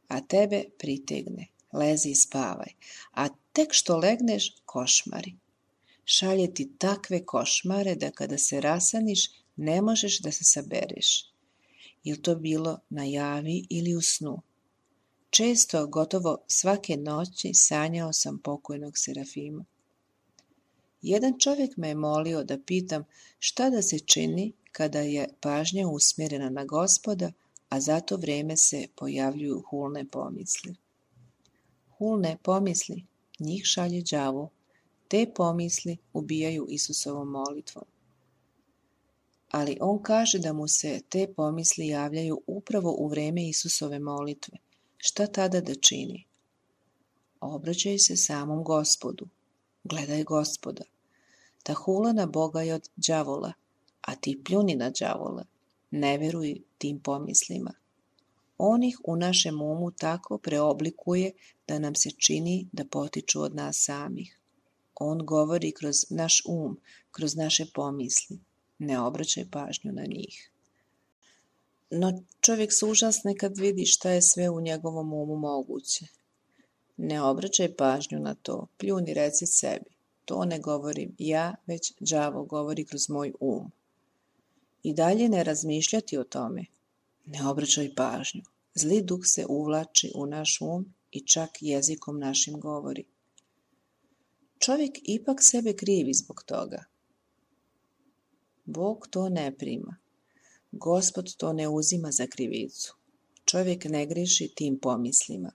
A tebe pritegne. Lezi i spavaj. A tek što legneš, košmari. Šalje ti takve košmare da kada se rasaniš, ne možeš da se sabereš. Jel to bilo na javi ili u snu? Često, gotovo svake noći, sanjao sam pokojnog Serafima. Jedan čovjek me je molio da pitam šta da se čini kada je pažnja usmjerena na Gospoda, a za to vrijeme se pojavljuju hulne pomisli. Hulne pomisli, njih šalje đavo. Te pomisli ubijaju Isusovom molitvom. Ali on kaže da mu se te pomisli javljaju upravo u vrijeme Isusove molitve. Šta tada da čini? Obraćaj se samom Gospodu. Gledaj Gospoda. Ta hula na Boga je od đavola, a ti pljuni na đavola. Ne veruj tim pomislima. On ih u našem umu tako preoblikuje da nam se čini da potiču od nas samih. On govori kroz naš kroz naše pomisli. Ne obraćaj pažnju na njih. No čovjek se užasne kad vidi šta je sve u njegovom umu moguće. Ne obraćaj pažnju na to, pljuni, reci sebi. To ne govorim ja, već đavo govori kroz moj I dalje ne razmišljati o tome. Ne obraćaj pažnju. Zli duh se uvlači u naš i čak jezikom našim govori. Čovjek ipak sebe krivi zbog toga. Bog to ne prima. Gospod to ne uzima za krivicu. Čovjek ne griješi tim pomislima.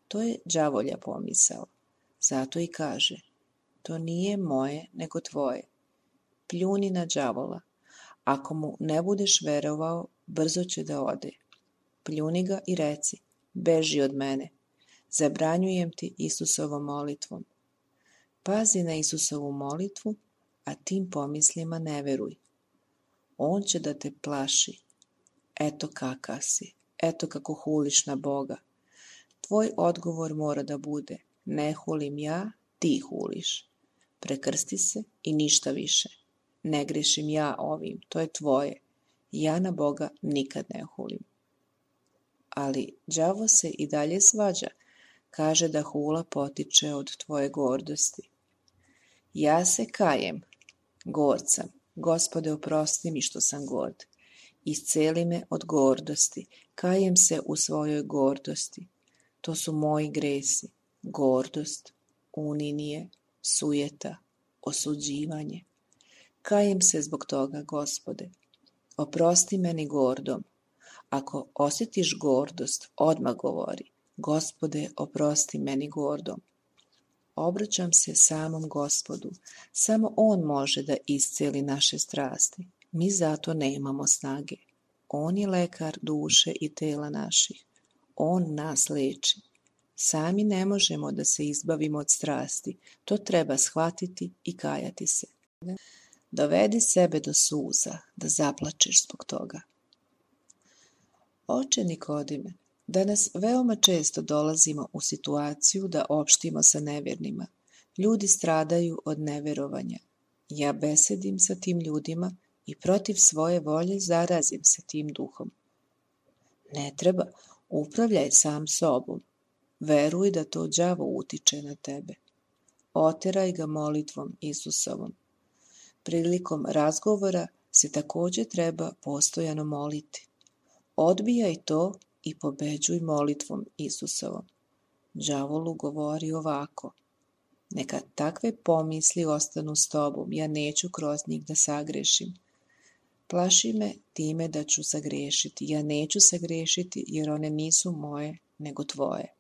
To je đavolja pomisao. Zato i kaže, to nije moje nego tvoje. Pljuni na đavola. Ako mu ne budeš verovao, brzo će da ode. Pljuni ga i reci, beži od mene. Zabranjujem ti Isusovom molitvom. Pazi na Isusovu molitvu, a tim pomislima ne veruj. On će da te plaši. Eto kakav si, eto kako huliš na Boga. Tvoj odgovor mora da bude, ne hulim ja, ti huliš. Prekrsti se i ništa više. Ne grešim ja ovim, to je tvoje. Ja na Boga nikad ne hulim. Ali đavo se i dalje svađa, kaže da hula potiče od tvoje gordosti. Ja se kajem, gord sam, Gospode oprosti mi što sam gord. Isceli me od gordosti, kajem se u svojoj gordosti. To su moji gresi, gordost, uninije, sujeta, osuđivanje. Kajem se zbog toga, Gospode. Oprosti meni gordom. Ako osjetiš gordost, odmah govori, Gospode, oprosti meni gordom. Obraćam se samom Gospodu. Samo On može da isceli naše strasti. Mi zato nemamo snage. On je lekar duše i tela naših. On nas leči. Sami ne možemo da se izbavimo od strasti. To treba shvatiti i kajati se. Dovedi sebe do suza, da zaplačeš zbog toga. Oče Nikodime, danas veoma često dolazimo u situaciju da opštimo sa nevjernima. Ljudi stradaju od neverovanja. Ja besedim sa tim ljudima i protiv svoje volje zarazim se tim duhom. Ne treba, upravljaj sam sobom. Veruj da to đavo utiče na tebe. Oteraj ga molitvom Isusovom. Prilikom razgovora se također treba postojano moliti. Odbijaj to i pobeđuj molitvom Isusovom. Đavolu govori ovako: neka takve pomisli ostanu s tobom, ja neću kroz njih da sagrešim. Plaši me time da ću sagrešiti, ja neću sagrešiti jer one nisu moje, nego tvoje.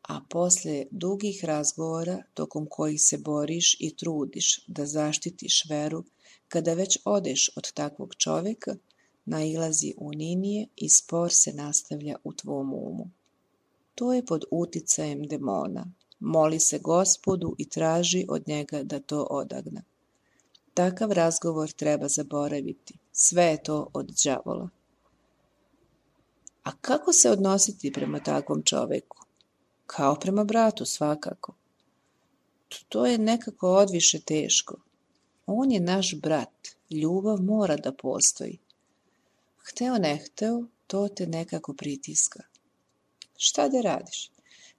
A posle dugih razgovora, tokom kojih se boriš i trudiš da zaštitiš veru, kada već odeš od takvog čovjeka, nailazi uninije i spor se nastavlja u tvom umu. To je pod uticajem demona. Moli se Gospodu i traži od njega da to odagna. Takav razgovor treba zaboraviti. Sve je to od đavola. A kako se odnositi prema takvom čovjeku? Kao prema bratu, svakako. To je nekako odviše teško. On je naš brat. Ljubav mora da postoji. Hteo ne hteo, to te nekako pritiska. Šta da radiš?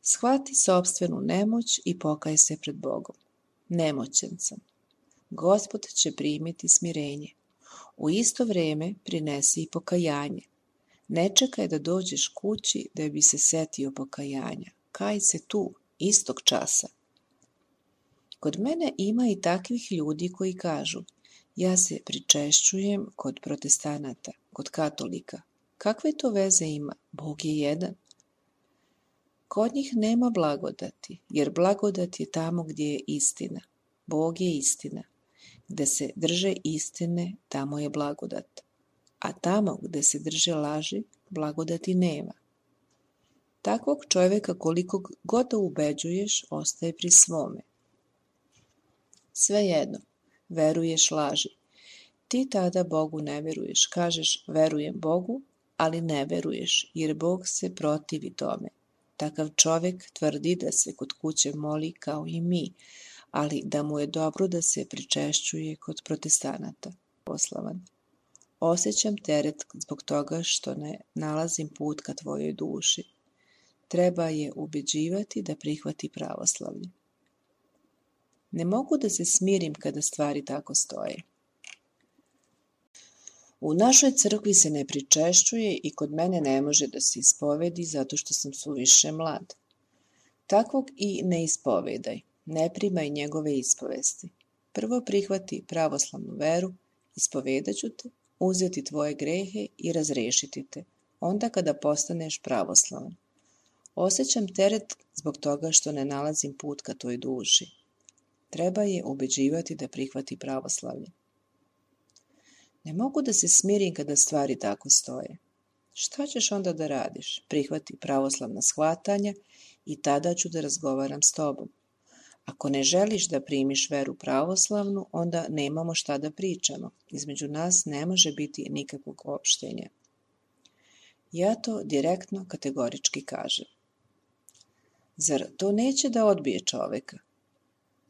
Shvati sopstvenu nemoć i pokaj se pred Bogom. Nemoćan sam. Gospod će primiti smirenje. U isto vrijeme prinesi i pokajanje. Ne čekaj da dođeš kući da bi se setio pokajanja. Kaj se tu, istog časa. Kod mene ima i takvih ljudi koji kažu: ja se pričešćujem kod protestanata, kod katolika. Kakve to veze ima? Bog je jedan. Kod njih nema blagodati, jer blagodat je tamo gdje je istina. Bog je istina. Gde se drže istine, tamo je blagodat. A tamo gde se drže laži, blagodati nema. Takvog čovjeka koliko god da ubeđuješ, ostaje pri svome. Svejedno, veruješ laži. Ti tada Bogu ne veruješ. Kažeš verujem Bogu, ali ne veruješ, jer Bog se protivi tome. Takav čovjek tvrdi da se kod kuće moli kao i mi, ali da mu je dobro da se pričešćuje kod protestanata. Poslavan. Osjećam teret zbog toga što ne nalazim put ka tvojoj duši. Treba je ubeđivati da prihvati pravoslavlje. Ne mogu da se smirim kada stvari tako stoje. U našoj crkvi se ne pričešćuje i kod mene ne može da se ispovedi zato što sam suviše mlad. Takvog i ne ispovedaj, ne primaj njegove ispovesti. Prvo prihvati pravoslavnu veru, ispovedaću te, uzeti tvoje grehe i razrešiti te, onda kada postaneš pravoslavan. Osjećam teret zbog toga što ne nalazim put ka toj duši. Treba je ubeđivati da prihvati pravoslavlje. Ne mogu da se smirim kada stvari tako stoje. Šta ćeš onda da radiš? Prihvati pravoslavna shvatanja i tada ću da razgovaram s tobom. Ako ne želiš da primiš veru pravoslavnu, onda nemamo šta da pričamo. Između nas ne može biti nikakvog opštenja. Ja to direktno kategorički kažem. Zar to neće da odbije čoveka?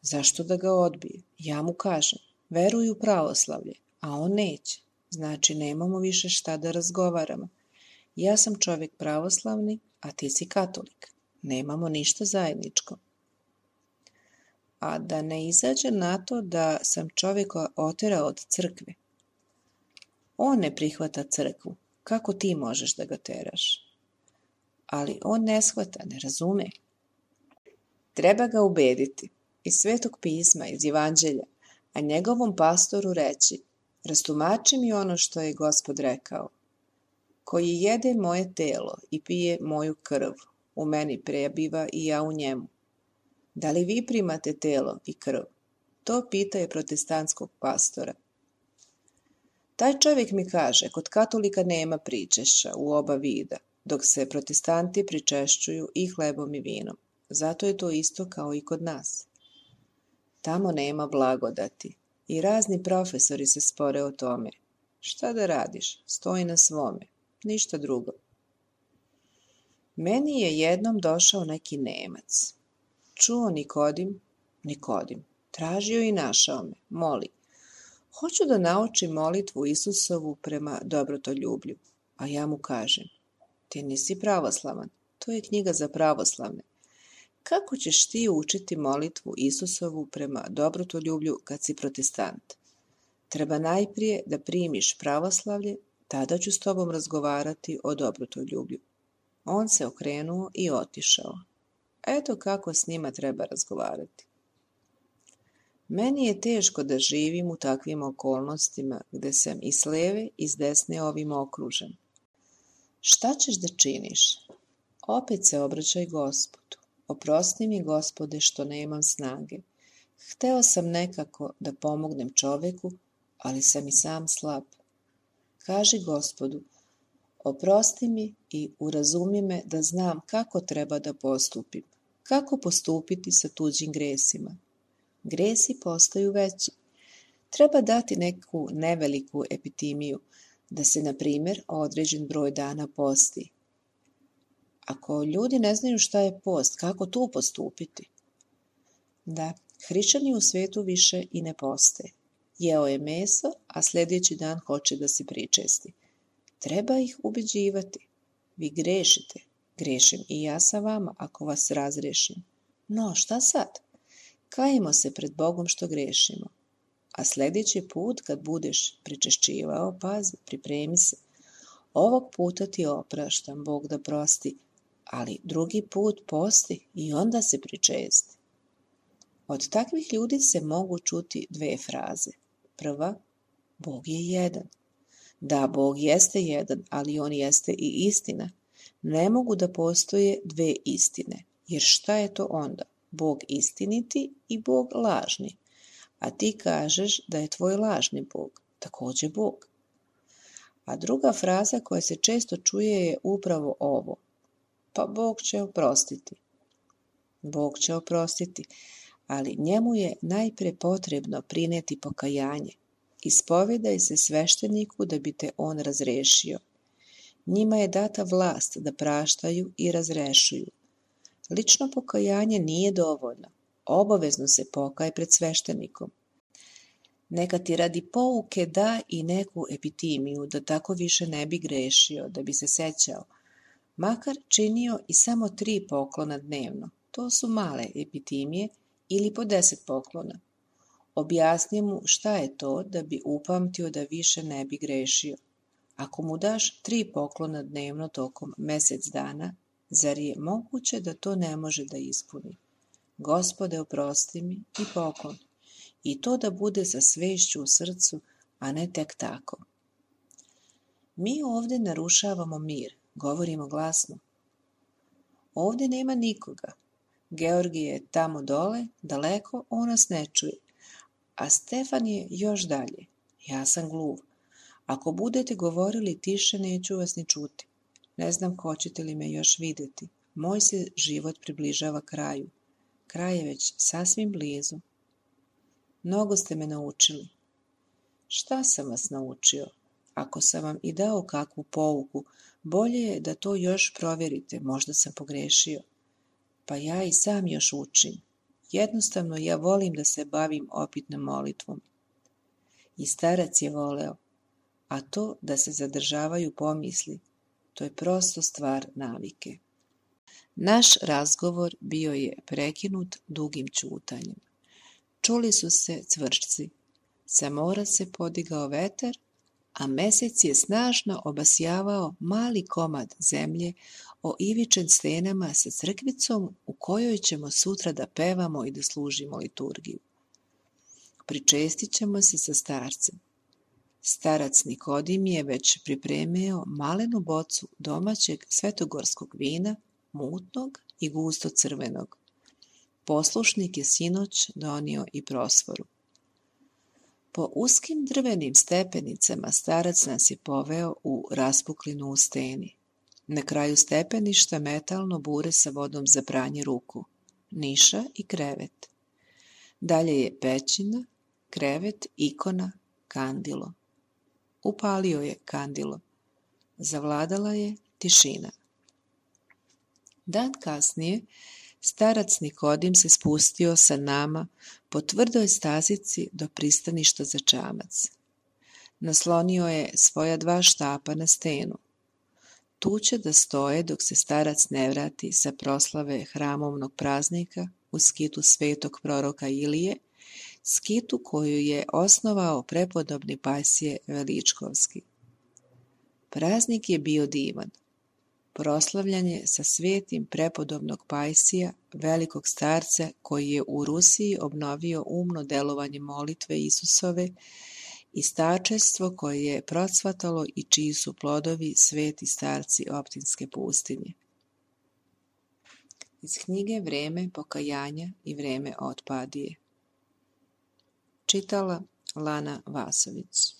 Zašto da ga odbije? Ja mu kažem, veruj u pravoslavlje, a on neće. Znači nemamo više šta da razgovaramo. Ja sam čovjek pravoslavni, a ti si katolik. Nemamo ništa zajedničko. A da ne izađe na to da sam čovjeka oterao od crkve. On ne prihvata crkvu. Kako ti možeš da ga teraš? Ali on ne shvata, ne razume. Treba ga ubediti iz Svetog pisma, iz Evanđelja, a njegovom pastoru reći: rastumači mi ono što je Gospod rekao. Koji jede moje telo i pije moju krv, u meni prebiva i ja u njemu. Da li vi primate telo i krv? To pita je protestantskog pastora. Taj čovjek mi kaže, kod katolika nema pričešća u oba vida, dok se protestanti pričešćuju i hlebom i vinom. Zato je to isto kao i kod nas. Tamo nema blagodati i razni profesori se spore o tome. Šta da radiš? Stoji na svome. Ništa drugo. Meni je jednom došao neki Nemac. Čuo Nikodim. Tražio i našao me. Moli. Hoću da naučim molitvu Isusovu prema dobrotoljublju. A ja mu kažem. Ti nisi pravoslavan. To je knjiga za pravoslavne. Kako ćeš ti učiti molitvu Isusovu prema dobrotoljublju kad si protestant? Treba najprije da primiš pravoslavlje, tada ću s tobom razgovarati o dobrotoljublju. On se okrenuo i otišao. Eto kako s njima treba razgovarati. Meni je teško da živim u takvim okolnostima gde sam i s leve i s desne ovim okružen. Šta ćeš da činiš? Opet se obraćaj Gospodu. Oprosti mi, Gospode, što nemam snage. Hteo sam nekako da pomognem čoveku, ali sam i sam slab. Kaži Gospodu, oprosti mi i urazumi me da znam kako treba da postupim, kako postupiti sa tuđim gresima. Gresi postaju veći. Treba dati neku neveliku epitimiju, da se, na primjer, određen broj dana posti. Ako ljudi ne znaju šta je post, kako tu postupiti? Da, hrišćani u svetu više i ne poste. Jeo je meso, a sljedeći dan hoće da se pričesti. Treba ih ubeđivati. Vi grešite. Grešim i ja sa vama ako vas razrešim. No, šta sad? Kajemo se pred Bogom što grešimo. A sljedeći put kad budeš pričešćivao, pazi, pripremi se. Ovog puta ti opraštam, Bog da prosti, ali drugi put posti i onda se pričesti. Od takvih ljudi se mogu čuti dve fraze. Prva, Bog je jedan. Da, Bog jeste jedan, ali on jeste i istina. Ne mogu da postoje dve istine, jer šta je to onda? Bog istiniti i Bog lažni. A ti kažeš da je tvoj lažni Bog, također Bog. A druga fraza koja se često čuje je upravo ovo. Pa Bog će oprostiti. Bog će oprostiti, ali njemu je najpre potrebno prineti pokajanje. Ispovedaj se svešteniku da bi te on razrešio. Njima je data vlast da praštaju i razrešuju. Lično pokajanje nije dovoljno. Obavezno se pokaj pred sveštenikom. Neka ti radi pouke da i neku epitimiju, da tako više ne bi grešio, da bi se sećao. Makar činio i samo 3 poklona dnevno. To su male epitimije ili po 10 poklona. Objasni mu šta je to da bi upamtio da više ne bi grešio. Ako mu daš 3 poklona dnevno tokom mjesec dana, zar je moguće da to ne može da ispuni? Gospode, oprosti mi i poklon. I to da bude sa svešću u srcu, a ne tek tako. Mi ovdje narušavamo mir, govorimo glasno. Ovdje nema nikoga. Georgije je tamo dole, daleko, on nas ne čuje. A Stefan je još dalje. Ja sam gluv. Ako budete govorili tiše, neću vas ni čuti. Ne znam hoćete li me još vidjeti. Moj se život približava kraju. Kraj je već sasvim blizu. Mnogo ste me naučili. Šta sam vas naučio? Ako sam vam i dao kakvu pouku, bolje je da to još provjerite, možda sam pogrešio. Pa ja i sam još učim. Jednostavno ja volim da se bavim opitnom molitvom. I starac je voleo, a to da se zadržavaju pomisli, to je prosto stvar navike. Naš razgovor bio je prekinut dugim ćutanjem. Čuli su se cvrčci, sa mora se podigao vetar, a mesec je snažno obasjavao mali komad zemlje o ivičen stenama sa crkvicom u kojoj ćemo sutra da pevamo i da služimo liturgiju. Pričestit ćemo se sa starcem. Starac Nikodim je već pripremio malenu bocu domaćeg svetogorskog vina, mutnog i gusto crvenog. poslušnik je sinoć donio i prosforu. Po uskim drvenim stepenicama starac nas je poveo u raspuklinu u steni. Na kraju stepeništa metalno bure sa vodom za pranje ruku, niša i krevet. Dalje je pećina, krevet, ikona, kandilo. Upalio je kandilo. Zavladala je tišina. Dan kasnije, starac Nikodim se spustio sa nama po tvrdoj stazici do pristaništa za čamac. Naslonio je svoja 2 štapa na stenu. Tu će da stoje dok se starac ne vrati sa proslave hramovnog praznika u skitu svetog proroka Ilije, skitu koju je osnovao prepodobni Pajsije Veličkovski. Praznik je bio divan. Proslavljan je sa svetim prepodobnog Pajsija, velikog starca koji je u Rusiji obnovio umno delovanje molitve Isusove i starčestvo koje je procvatalo i čiji su plodovi sveti starci Optinske pustinje. Iz knjige Vreme pokajanja i vreme otpadije. Čitala Lana Vasović.